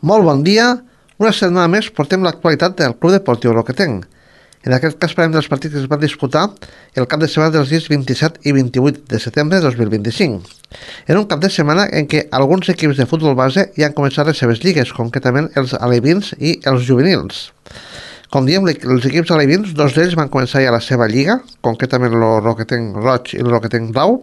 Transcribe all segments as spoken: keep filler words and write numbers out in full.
Molt bon dia. Una setmana més portem l'actualitat del Club Deportiu Roquetenc. En aquest cas parlem dels partits que es van disputar el cap de setmana dels dies vint-i-set i vint-i-vuit de setembre de dos mil vint-i-cinc. Era un cap de setmana en què alguns equips de futbol base ja han començat les seves lligues, concretament els alevins i els juvenils. Com diem, els equips alevins, dos d'ells van començar ja la seva lliga, concretament el Roquetenc Roig i el Roquetenc Blau,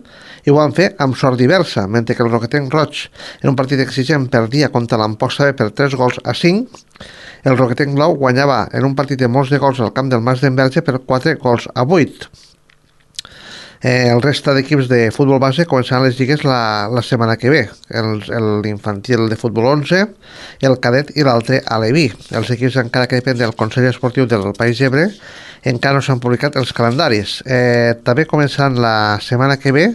i ho van fer amb sort diversa, mentre que el Roquetenc Roig en un partit exigent perdia contra l'Amposta B per tres gols a cinc, el Roquetenc Blau guanyava en un partit de molts de gols al camp del Mas d'Enverge per quatre gols a vuit. Eh, el resta d'equips de futbol base començaran les lligues la, la setmana que ve. L'infantil de futbol onze, el cadet i l'altre aleví. Els equips, encara que depèn del Consell Esportiu del País Ebre, encara no s'han publicat els calendaris. Eh, també començaran la setmana que ve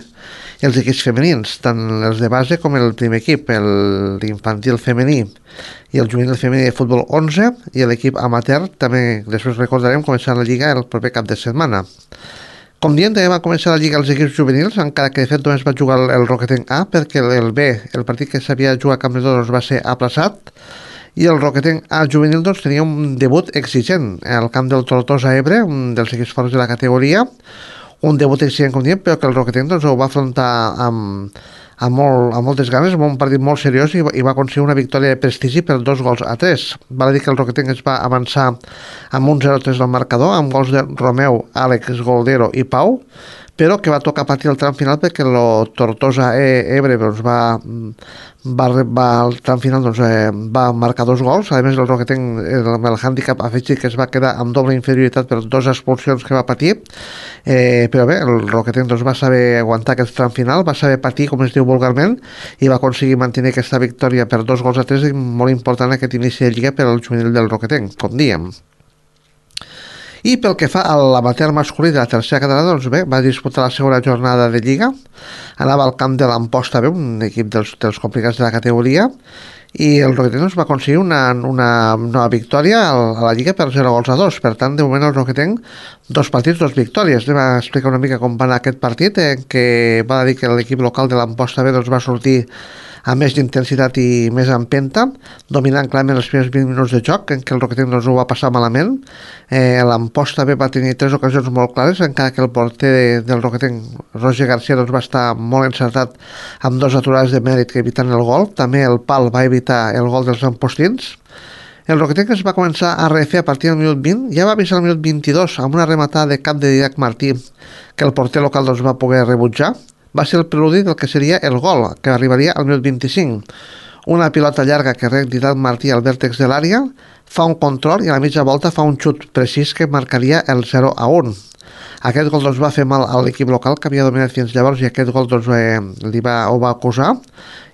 els equips femenins, tant els de base com el primer equip, l'infantil femení i el juvenil femení de futbol onze, i l'equip amateur també, després recordarem, començarà la lliga el proper cap de setmana. Com diem, també va començar la lliga als equips juvenils, encara que de fet només va jugar el, el Roquetenc A, perquè el B, el partit que s'havia de jugar a Camp de Doros, va ser aplaçat, i el Roquetenc A juvenil doncs, tenia un debut exigent al camp del Tortosa Ebre, un dels equips forts de la categoria, un debut exigent, com diem, però que el Roquetenc doncs, ho va afrontar amb, amb, molt, amb moltes ganes, amb un partit molt seriós, i, i va aconseguir una victòria de prestigi per dos gols a tres. Val a dir que el Roquetenc es va avançar amb un zero tres del marcador, amb gols de Romeu, Àlex, Goldero i Pau, però que va tocar patir el tram final perquè el Tortosa Ebre doncs, va, va, va, el tram final doncs, eh, va marcar dos gols. A més, el Roquetenc, amb el hàndicap afegit, que es va quedar amb doble inferioritat per dues expulsions que va patir, eh, però bé, el Roquetenc doncs, va saber aguantar aquest tram final, va saber patir, com es diu vulgarment, i va aconseguir mantenir aquesta victòria per dos gols a tres, i molt important aquest inici de lliga per al juvenil del Roquetenc, com diem. I pel que fa a l'amateur masculí de la tercera catalana, doncs bé, va disputar la segona jornada de Lliga, anava al camp de l'Amposta B, un equip dels, dels complicats de la categoria, i el Roquetenc doncs, va aconseguir una, una nova victòria a la Lliga per zero gols a dos. Per tant, de moment el Roquetenc, dos partits, dos victòries. Anem a explicar una mica com va anar aquest partit, en què va dir que l'equip local de l'Amposta B doncs, va sortir amb més d'intensitat i més empenta, dominant clarament els primers vint minuts de joc, en què el Roquetenc doncs, ho va passar malament. Eh, L'Amposta B va tenir tres ocasions molt clares, encara que el porter de, del Roquetenc, Roger García, doncs, va estar molt encertat amb dos aturades de mèrit que eviten el gol. També el pal va evitar el gol dels ampostins. El Roquetenc es va començar a refer a partir del minut vint, ja va avisar al minut vint-i-dos amb una rematada de cap de Didac Martí que el porter local doncs, va poder rebutjar. Va ser el preludi del que seria el gol, que arribaria al minut vint-i-cinc. Una pilota llarga que rec Didac Martí al vèrtex de l'àrea, fa un control i a la mitja volta fa un xut precís que marcaria el zero a un. Aquest gol doncs, va fer mal a l'equip local, que havia dominat fins llavors, i aquest gol doncs, eh, li va, ho va acusar,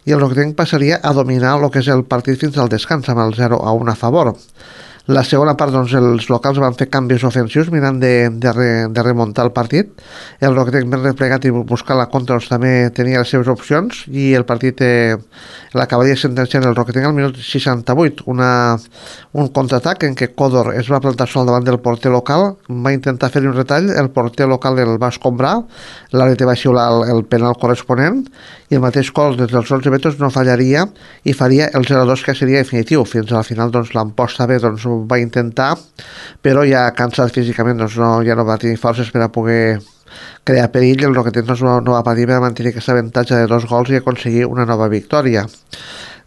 i el Roquetenc passaria a dominar el que és el partit fins al descans, amb el zero a un a favor. La segona part, doncs, els locals van fer canvis ofensius mirant de, de, re, de remuntar el partit. El Roquetenc ben replegat i buscar la contra doncs, també tenia les seves opcions, i el partit eh, l'acabaria sentenciant el Roquetenc al minut seixanta-vuit, una, un contraatac en què Codor es va plantar sol davant del porter local, va intentar fer un retall, el porter local el va escombrar, l'àrbitre va xiular el, el penal corresponent, i el mateix gol des dels onze metres no fallaria i faria el zero a dos, que seria definitiu. Fins al final doncs, l'Amposta B doncs, ho va intentar, però ja cansat físicament doncs, no, ja no va tenir forces per a poder crear perill. El Roquetenc doncs, no, no va patir per mantenir aquesta avantatge de dos gols i aconseguir una nova victòria.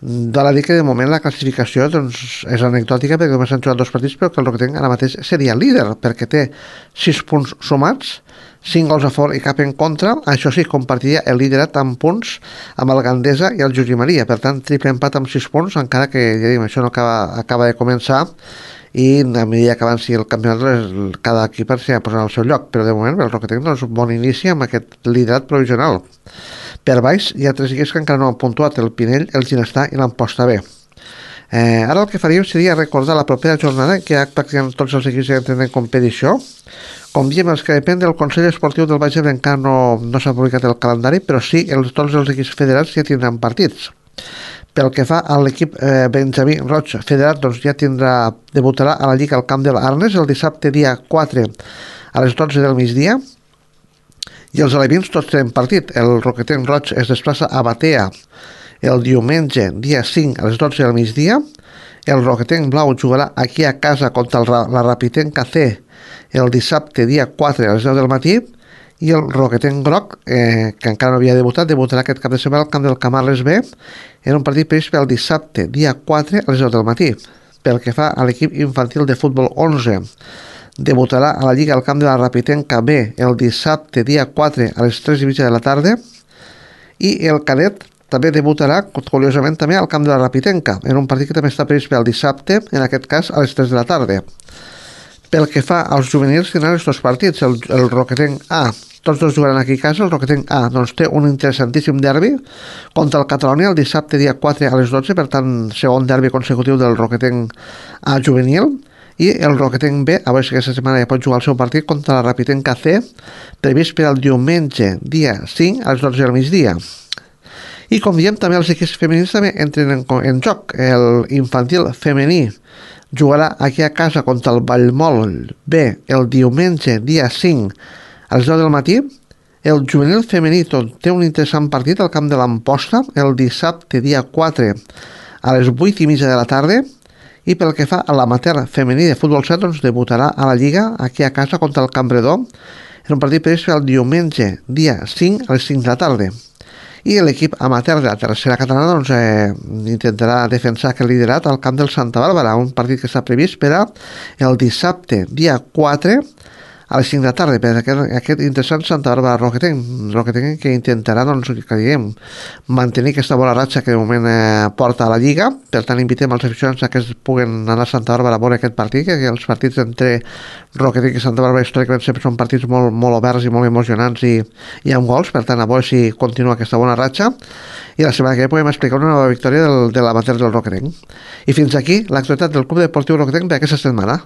Val a dir que de moment la classificació doncs, és anecdòtica, perquè només han jugat dos partits, però que el Roquetenc ara mateix seria líder, perquè té sis punts sumats, cinc gols a favor i cap en contra. Això sí, compartiria el liderat amb punts amb el Gandesa i el Josep Maria. Per tant, triple empat amb sis punts, encara que ja diguem, això no acaba, acaba de començar, i a mesura que avanci el campionat cada equip s'ha posat al seu lloc. Però de moment el Roquetenc doncs, un bon inici amb aquest liderat provisional. Per baix hi ha tres equips que encara no han puntuat: el Pinell, el Ginestar i l'Amposta B. Eh, ara el que faríem seria recordar la propera jornada, que ja pràcticament tots els equips ja tenen competició. Com diem, els que depèn del Consell Esportiu del Baix Ebre encara no, no s'ha publicat el calendari, però sí, els, tots els equips federats ja tindran partits. Pel que fa a l'equip eh, Benjamí Roig federat, doncs ja tindrà, debutarà a la Lliga al camp de l'Arnes el dissabte dia quatre a les dotze del migdia, i els alevins tots tenen partit. El Roquetenc Roig es desplaça a Batea el diumenge dia cinc a les dotze del migdia, El Roquetenc Blau jugarà aquí a casa contra el, la Rapitenca C el dissabte dia quatre a les deu del matí, i el Roquetenc Groc, eh, que encara no havia debutat, debutarà aquest cap de setmana al camp del Camarles B en un partit previst pel dissabte dia quatre a les deu del matí. Pel que fa a l'equip infantil de futbol onze, debutarà a la Lliga al camp de la Rapitenca B el dissabte dia quatre a les tres i mitja de la tarda, i el cadet també debutarà, curiosament, també al camp de la Rapitenca, en un partit que també està previst pel dissabte, en aquest cas a les tres de la tarda. Pel que fa als juvenils, tindran els dos partits, el, el Roquetenc A, tots dos jugaran aquí a casa. El Roquetenc A doncs, té un interessantíssim derbi contra el Catalunya el dissabte dia quatre a les dotze, per tant, segon derbi consecutiu del Roquetenc A juvenil, i el Roquetenc B, a veure si aquesta setmana ja pot jugar el seu partit contra la Rapitenca C, previst per al diumenge dia cinc a les dotze del migdia. I com diem, també els equips femenins també entren en, en joc. El infantil femení jugarà aquí a casa contra el Vallmol B el diumenge dia cinc a les deu del matí. El juvenil femení té un interessant partit al camp de l'Amposta el dissabte dia quatre a les vuit i mitja de la tarda. I pel que fa a l'amateur femení de futbol set, doncs debutarà a la Lliga aquí a casa contra el Campredó en un partit previst el diumenge dia cinc a les cinc de la tarda. I l'equip amateur de la tercera catalana doncs, eh, intentarà defensar aquest liderat al camp del Santa Bàrbara, un partit que està previst per a el dissabte dia quatre a les cinc de la tarda, per aquest, aquest interessant Santa Bàrbara Roquetenc, Roquetenc que intentarà doncs, que diguem, mantenir aquesta bona ratxa que de moment eh, porta a la Lliga. Per tant, invitem els aficionats a que es puguen anar a Santa Bàrbara a veure aquest partit, que els partits entre Roquetenc i Santa Bàrbara històricament sempre són partits molt, molt oberts i molt emocionants i, i amb gols. Per tant, a veure si continua aquesta bona ratxa, i la setmana que ve podem explicar una nova victòria del, de l'amateur del Roquetenc. I fins aquí l'actualitat del Club Deportiu Roquetenc per aquesta setmana.